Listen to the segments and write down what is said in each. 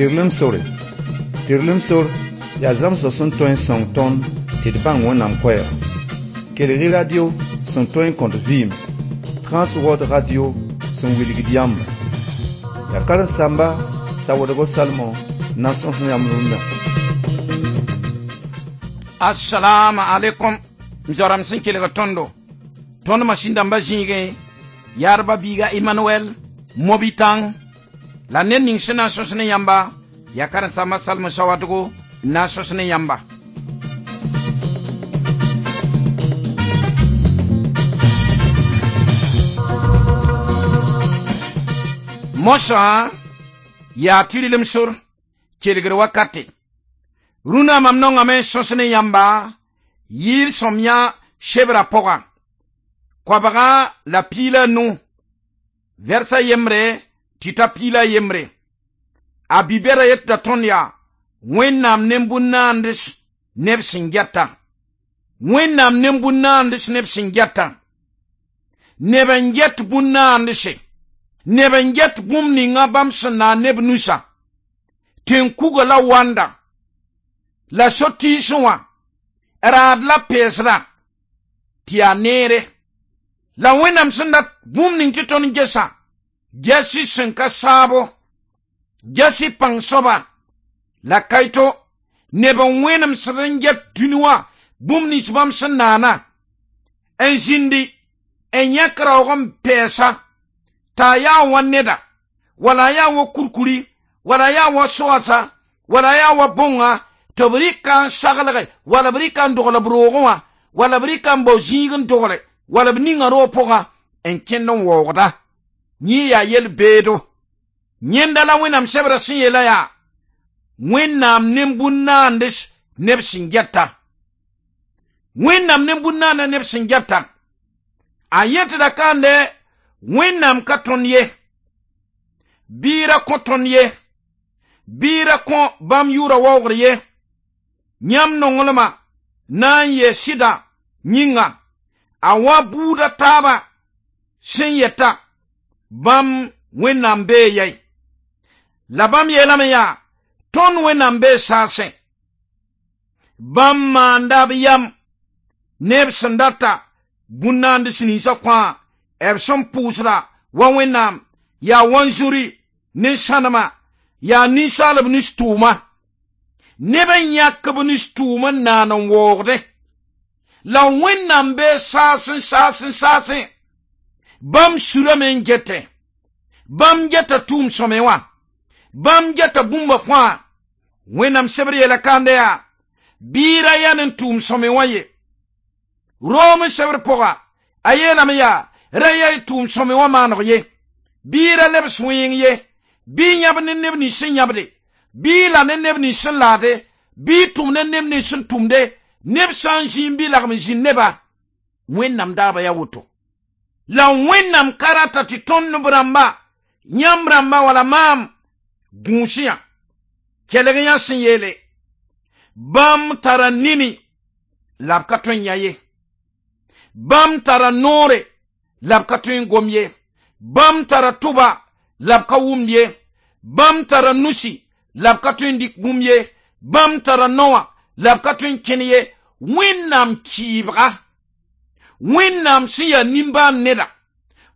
Tɩrlem sore. Tɩrlem sor yaa zãmsg sẽn tõe n sõng tõnd tɩ d bãng Wẽnnaam koɛɛga. Kelg-y radio sẽn tõe n kõt vɩɩm, Transworld Radio sẽn wilgd yãmba. Yaa karen-saamba Sawadgo Salmon n na n sõs yãmb rũndã. Assalamu alaikum m zoa-rãmb sẽn kelg tõndo tõnd masĩn dãmbã zĩigẽ yaadba biiga Emmanuel Mobitãng la ned ning sẽn na n sõs ne yãmba yaa karen-saamba Salmon Sawadgo n na n sõs ne yãmba. Mosã yaa tɩrlem sor kelgr wakate. Rũnã mam nongame n sõs ne yãmba yɩɩr sõmyã sebra pʋga 25 vɛrsa yembre tɩ ta piila yembre. A bi-bɛda yetɩ tõnd yaa Wẽnnaam nem-bũn-naands neb sẽn gɛta. Wẽnnaam nem-bũn-naands neb sẽn gɛta. Neb n get bũn-naandse. Neb n get bũmb ninga bãmb sẽn na neb nusa. Tẽn-kuga la wanda. La so-tiisẽ wã raad la peesra tɩ yaa neere. La Wẽnnaam sẽn dat bũmb ning tɩ tõnd gesa gɛs-y sẽn ka saabo, gɛs-y pãng soaba la kaito neb n wẽnemsd n get dũni wã bũmb nins bãmb sẽn naana n zĩndi n yãk raoog n pɛɛsa t'a yaa wa neda wala a yaa wa kurkuri wala a yaa wa soasa wala a yaa wa bõnga tɩ b rɩka n saglge wala b rɩka n dogl b roogẽ wã wala b rɩka n bao zĩig n dogle wala b ninga roog pʋgã n kẽnd n waoogda. Yẽ yaa yel-beedo. Yẽnda la Wẽnnaam sebra sẽn yeela yaa Wẽnnaam nem-bũn-naands neb sẽn gɛta. Wẽnnaam nem-bũn-naanda neb sẽn gɛta. A yetɩda kande Wẽnnaam ka tõnd ye, bɩ ra kõ tõnd ye, bɩ ra kõ bãmb yʋʋra waoogr ye. Yãmb nonglmã na n yee sɩda yĩnga a wa buuda taaba sẽn yɛta bãmb Wẽnnaam bee yɛi. La bãmb yeelame yaa tõnd Wẽnnaam bee saasẽ. Bãmb maanda b yam neb sẽn data bũn-naands ninsã fãa b sẽn pʋʋsda wa Wẽnnaam yaa wanzuri ne sãnema yaa ninsaalb nus-tʋʋma. Neb n yãk b nus-tʋʋm n naan n waoogdẽ. La Wẽnnaam bee saasẽ saasẽ saasẽ bãmb surame n getẽ. Bãmb geta tʋʋm sõme wã. Bãmb geta bũmba fãa. Wẽnnaam sebr yeela kãande yaa bɩ ra yaa ne tʋʋm sõme wã ye. Room sebr pʋga a yeelame yaa ra yaa y tʋʋm sõme wã maaneg ye. Bɩ ra lebs wẽeng ye. Bɩ yãb ne neb nins sẽn yãbde. Bɩ la ne neb nins sẽn laade. Bɩ tʋm ne neb nins sẽn tʋmde. Neb sã n zĩig bɩ lagm zĩnd neba. Wẽnnaam daaba yaa woto. La Wẽnnaam ka rata tɩ tõnd b rãmba, yãmb rãmba wala maam gũus yã. Kelg yã sẽn yeele bãmb tara nini la b ka tõe n yã ye. Bãmb tara noore la b ka tõe n gom ye. Bãmb tara tʋba la b ka wʋmd ye. Bãmb tara nusi la b ka tõe n dɩk bũmb ye. Bãmb tara noa la b ka tõe n kẽn ye. Wẽnnaam kɩɩbga, Wẽnnaam sẽn yaa nimbãan neda,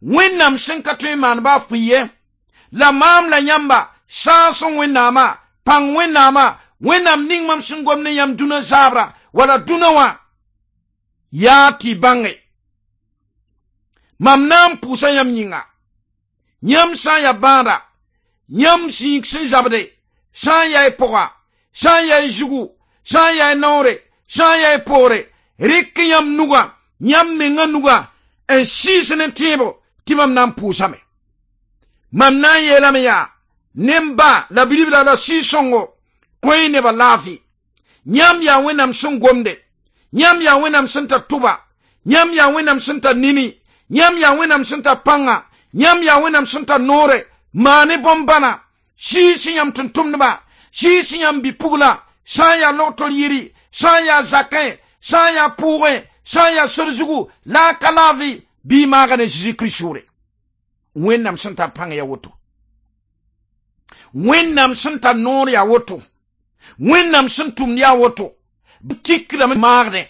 Wẽnnaam sẽn ka tõe n maan baa fʋɩ ye. La maam la yãmba sãas n Wẽnnaamã, pãng Wẽnnaamã, Wẽnnaam ning mam sẽn gom ne yãmb dũnã zaabra wala dũnã wã yaa tɩ y bãnge. Mam na n pʋʋsa yãmb yĩnga. Yãmb sã n yaa bãada, yãmb zĩig sẽn zabde, sã n yaa y pʋga, sã n yaa y zugu, sã n yaa y noore, sã n yaa y poore, rɩk yãmb nugã, yãmb menga nugã n sɩɩs ne tẽebo tɩ mam na n pʋʋsame. Mam na n yeelame yaa nem-ba la bilibla la Sɩɩg-sõngo kõ-y nebã laafɩ. Yãmb yaa Wẽnnaam sẽn gomde, yãmb yaa Wẽnnaam sẽn tar tʋba, yãmb yaa Wẽnnaam sẽn tar nini, yãmb yaa Wẽnnaam sẽn tar pãnga, yãmb yaa Wẽnnaam sẽn tar noore, maane bõn-bãna, sɩɩs yãmb tʋm-tʋmdba, sɩɩs yãmb bi-pugla, sã n yaa logtor yiri, sã n yaa zakẽ, sã n yaa pʋʋgẽ, sã n yaa sor zugu, la a ka laafɩ, bɩ y maaga ne Zeezi Kirist sʋʋre. Wẽnnaam sẽn tar pãng yaa woto. Wẽnnaam sẽn tar noor yaa woto, Wẽnnaam sẽn tʋmd yaa woto, tikdame maagdẽ,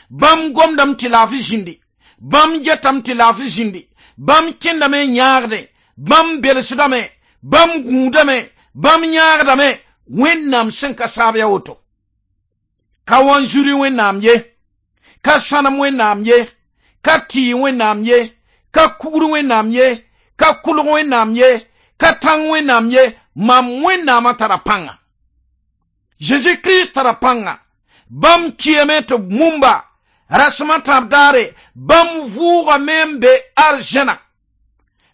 bãmb gomdame tɩ laafɩ zĩndi, bãmb getame tɩ laafɩ zĩndi, bãmb kẽndame n yãagdẽ, bãmb belsdame, bãmb gũudame, bãmb yãagdame. Wẽnnaam sẽn ka saab yaa woto. Ka wanzuri Wẽnnaam ye, ka sãnem Wẽnnaam ye, ka tɩɩ Wẽnnaam ye, ka kugr Wẽnnaam ye, ka kulg Wẽnnaam ye, ka tãng Wẽnnaam ye. Mam Wẽnnaamã tara pãnga. Zeezi Kirist tara pãnga. Bãmb kiame tɩ mumba rasem a tãab daare, bãmb vʋʋgame n be arzẽna.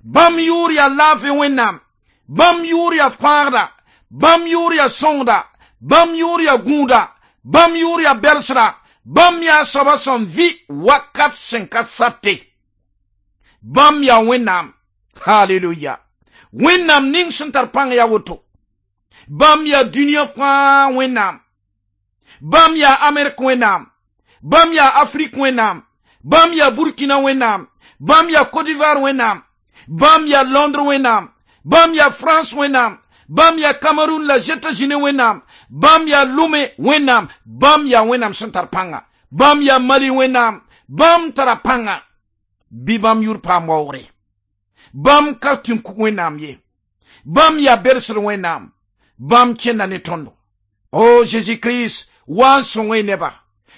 Bãmb yʋʋr yaa laafɩ Wẽnnaam, bãmb yʋʋr yaa fãagda, bãmb yʋʋr yaa sõngda, bãmb yʋʋr yaa gũuda, bãmb yʋʋr yaa belsda, bãmb yaa soaba sẽn vɩ wakat sẽn ka sate. Bãmb yaa Wẽnnaam. Haleluya. Wẽnnaam ning sẽn tar pãng yaa woto. Bãmb yaa dũniyã fãa Wẽnnaam. Bãmb yaa Amerik Wẽnnaam. Bãmb yaa Afrik Wẽnnaam. Bãmb yaa Burkina Wẽnnaam. Bãmb yaa Côte d'Ivoire Wẽnnaam. Bãmb yaa Londres Wẽnnaam. Bãmb yaa France Wẽnnaam. Bãmb yaa Cameroun la États-Unis Wẽnnaam. Bãmb yaa Lomé Wẽnnaam. Bãmb yaa Wẽnnaam sẽn tar pãnga. Bãmb yaa Mali Wẽnnaam. Bãmb tara pãnga. Bɩ bãmb yʋr paam waoogre. Bãmb ka tɩ n kug Wẽnnaam ye. Bãmb yaa belsd Wẽnnaam. Bãmb kẽnda ne tõndo. O Jésus Christ, wa n sõng y neba,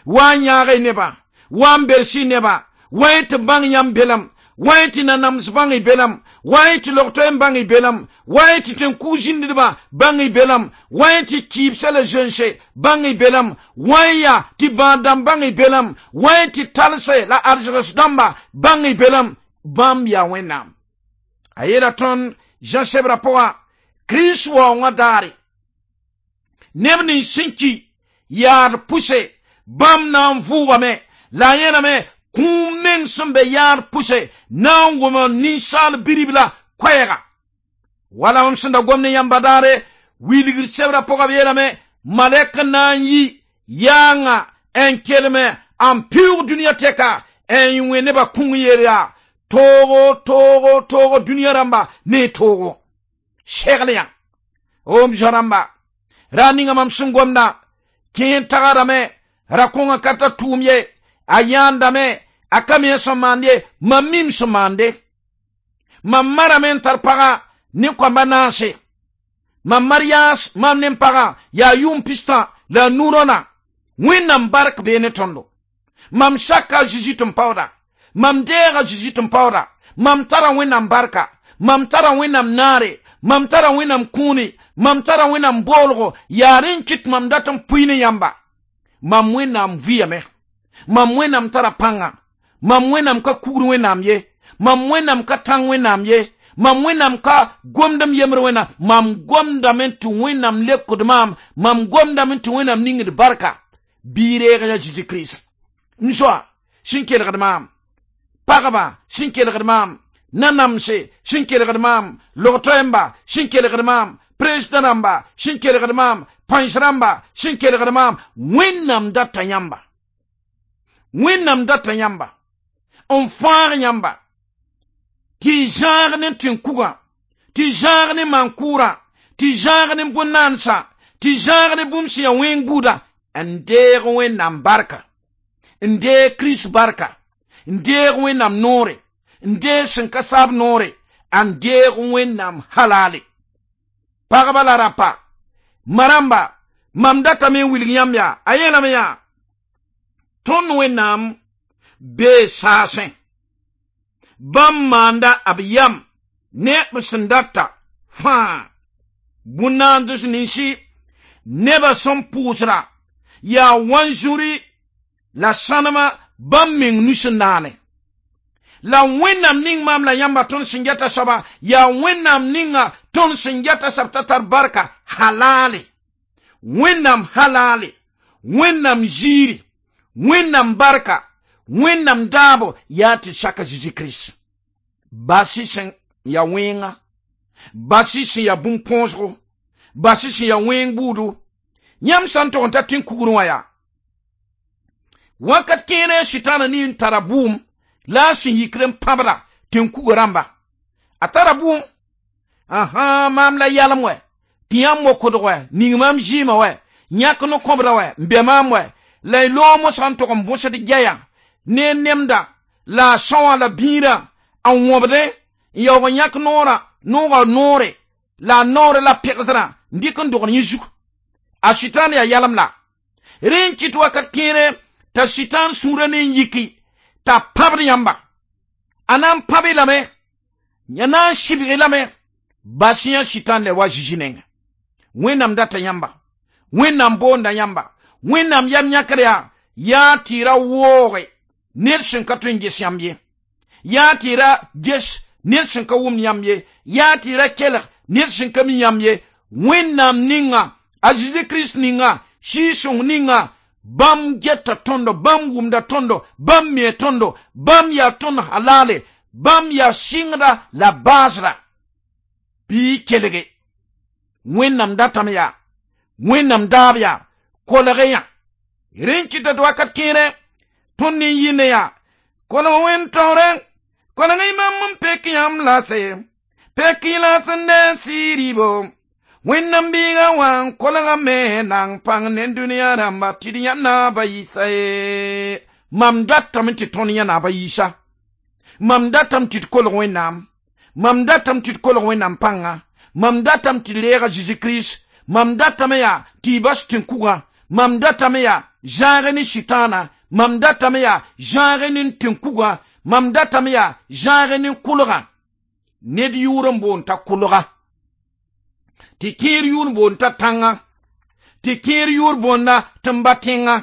wa n yãag y neba, wa n bels y neba, wa y tɩ bãng yãmb belam, wa y tɩ nanams bãng y belam, wa y tɩ log-toɛɛm bãng y belam, wa y tɩ tẽn-kug zĩndidbã bãng y belam, wa y tɩ kɩɩbsã la zẽnse bãng y belam, wa y yaa tɩ bãad-dãmb bãng y belam, wa y tɩ talse la arzegs dãmba bãng y belam. Bãmb yaa Wẽnnaam. A yeela tõnd Zã sebrã pʋgã, Kirist waoongã daare, neb nins sẽn ki yaad pʋse, bãmb na n vʋʋgame. La a yẽlame kũum meng sẽn be yaad pʋse na n wʋm ninsaal biribla koɛɛga. Wala mam sẽn da gom ne yãmba daare, wilgr sebrã pʋgã b yeelame malɛk na n yi yaanga n kelme n pɩʋʋg dũniyã tɛka n wẽ nebã kũng yeel yaa toogo toogo toogo dũniyã rãmba ne toogo segl yã. O m zoa rãmba, ra ninga mam sẽn gomdã kẽer tagrame, ra-kõngã ka tar tʋʋm ye, a yãandame, a ka mi sẽn maand ye. Mam mim sẽn maande. Mam marame n tar pagã ne koamba naase. Mam mariage mam ne n pagã yaa yʋʋm pistã la a nu rõna. Wẽnnaam bark bee ne tõndo. Mam saka a Zeezi tɩ n paooda, mam deega Zeezi tɩ n paooda. Mam tara Wẽnnaam barka, mam tara Wẽnnaam naare, mam tara Wẽnnaam kũuni, mam tara Wẽnnaam boolgo. Yaa rẽ n kɩt mam dat n pʋɩ ne yãmba. Mam Wẽnnaam vɩyame, mam Wẽnnaam tara pãnga, mam Wẽnnaam ka kugr Wẽnnaam ye, mam Wẽnnaam ka tãng Wẽnnaam ye, mam Wẽnnaam ka gomdem yembr Wẽnnaam. Mam gomdame tɩ Wẽnnaam lekd maam, mam gomdame tɩ Wẽnnaam ningd barka. Bɩ reeg ya Zeezi Kirist. M zoa sẽn kelgd maam, pagba sẽn kelgd maam, nanamse sẽn kelgd maam, log-toɛɛmba sẽn kelgd maam, président rãmba sẽn kelgd maam, pãens rãmba sẽn kelgd maam, Wẽnnaam data yãmba, Wẽnnaam data yãmba n fãag yãmba tɩ y zãag ne tẽn-kugã, tɩ zãag ne maan-kʋʋrã, tɩ zãag ne bõn-naansã, tɩ zãag ne bũmb sẽn yaa wẽng buudã, n deeg Wẽnnaam barka, n deeg Kirist barka, n deeg Wẽnnaam noore, n deeg sẽn ka saab noore, n deeg Wẽnnaam halale. Pagba la rapa maramba, mam datame n wilg yãmb yaa a yeelame yaa tõnd Wẽnnaam bee saasẽ. Bãmb maanda b yam ne b sẽn data fãa bũn-naands ninsi nebã sẽn pʋʋsra yaa wanzuri la sãnema bãmb meng nus n naane. La Wẽnnaam ning maam la yãmba tõnd sẽn geta soaba yaa Wẽnnaam ninga tõnd sẽn geta soab t'a tar barka halale. Wẽnnaam halale, Wẽnnaam ziiri, Wẽnnaam barka, Wẽnnaam daabo yaa tɩ saka Zeezi Kirist. Bas-y sẽn yaa wẽnga, bas-y sẽn yaa bũmb-põosgo, bas-y sẽn yaa wẽng buudu. Yãmb sã n tog n ta tẽn-kugr wã yaa wakat kẽere sʋtãana ne n tara bʋʋm la a sẽn yikr n pãbda tẽn-kuga rãmba. A tara bʋʋm ãhã maam la yalem wɛ Tɩ yãmb mokodg wɛ ning maam zɩɩmã wɛ yãk ne kõbra wɛ n bɛ maam wɛ la y loog mosã n tog n bõsd gɛya ne nemda la a são la bĩirã n wõbdẽ n yaoog n yãk noorã noogã noore la a noore la pegsrã n dɩk n dogd yẽ zug a sʋtãan yaa yalem la rẽ n kɩt wakat kẽere t'a sʋtãan sũurã ne n yiki t'a pãbd yãmba a na n pãb-y lame ya na n sɩbg-y lame bas yã sʋtãan la wa zisi nenga wẽnnaam data yãmba wẽnnaam boonda yãmba wẽnnaam yam yãkr yaa yaa tɩ ra wooge ned sẽn ka tõe n ges yãmb ye yaa tɩ ra ges ned sẽn ka wʋmd yãmb ye yaa tɩ ra kelg ned sẽn ka mi yãmb ye wẽnnaam ninga a zeezi kirist ninga sɩɩg-sõng ninga bãmb geta tõndo bãmb wʋmda tõndo bãmb me tõndo bãmb yaa tõnd halale bãmb yaa sɩngda la baasra bɩ kelge wẽnnaam datame yaa wẽnnaam daab yaa kolge yã rẽ n kɩta tɩ wakat kẽere tõnd ne yɩ ne yaa kolg wẽn taoore kolg y mam n pek yãmb la se pek y la sẽn ne sɩɩribo wẽnnaam biiga wã n kolgame na n pãng ne dũniyã rãmba tɩ d yã naaba yiisa ye mam datame tɩ tõnd yã naaba yiisa mam datame tɩ d kolg wẽnnaam mam datame tɩ d kolg wẽnnaam pãnga mam datame tɩ d reega zeezi kirist mam datame yaa tɩ y bas tẽn-kugã mam datame yaa zãag ne sʋtãana mam datame yaa zãag ne tẽn-kugã mam datame yaa zãag ne kʋlgã ned yʋʋr n boond t'a kʋlga tɩ kẽer yʋʋr boond t'a tãnga tɩ kẽer yʋʋr boonda tɩ n ba tẽnga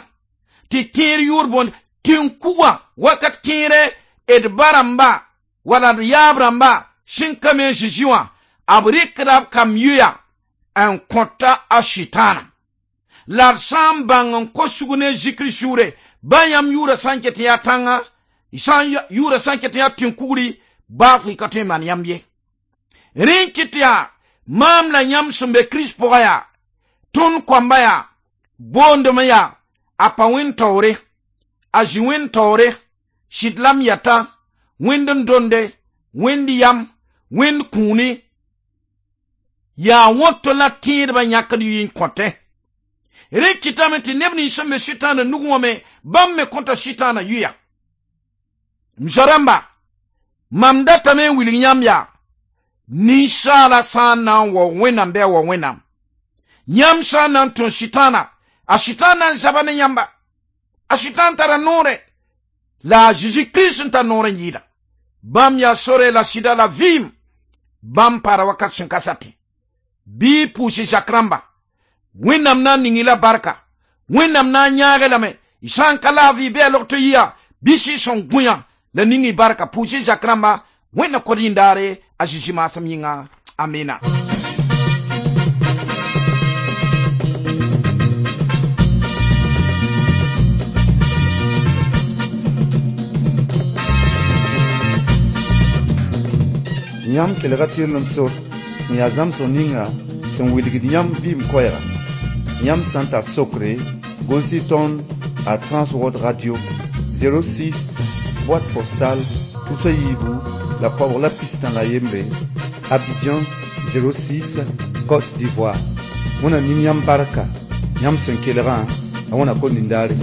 tɩ kẽer yʋʋr boond tẽn-kugã wakat kẽere d ba rãmba wala d yaab rãmba sẽn ka me Zezi wã b rɩkda b kam yʋya n kõta a sʋtãana la d sã n bãng n kos sug ne zikr sʋʋre ba yãmb yʋʋra sã n ket n yaa tãnga sã yʋʋra sã n ket n yaa tẽn-kugri baa fo y ka tõe n maan yãmb ye rẽ n kɩt yaa maam la yãmb sẽn be kirist pʋga yaa tõnd koamba yaa boondem yaa a pa wẽnd taoore a zĩ wẽnd taoore sɩd lam yata wẽnd n donde wẽnd yam wẽnd kũuni yaa woto la tẽedbã yãkd yɩ n kõtẽ rẽ kɩtame tɩ neb nins sẽn be sʋtãana nug wã me bãmb me kõta sʋtãana yʋya m zoa-rãmba mam datame n wilg yãmb yaa ninsaala sã n na n wao wẽnnaam bɩ a wao wẽnnaam yãmb sã n na n tõe sʋtãana a sʋtãan na n zaba ne yãmba a sʋtãan tara noorɛ la a zeezi kirist n tar noor n yɩɩda bãmb yaa sore la sɩda la vɩɩm bãmb paara wakat sẽn ka satẽ bɩ pʋʋs zak rãmba wẽnnaam na n ning-y la barka wẽnnaam na n yãag lame y sã n ka laafɩ bɩ a log tɩ yɩa bɩ sɩɩg-sõng gũyã la ning y barka pʋʋs zak rãmba wẽnna kod yĩndaare a Zezi maasem yĩnga amina. Yãmb kelga tɩrlem sor sẽn yaa zãmsg ninga sẽn wilgd yãmb vɩɩm koɛɛga yãmb sã n tar sokre gʋls-y tõnd a Transworld Radio 06 boîte postale tusa yiibu la koabg la pistã la yembre Abidjan 06 Côte d'Ivoire. Wẽna ning yãmb barka yãmb sẽn kelgã a wẽna kom nindaare.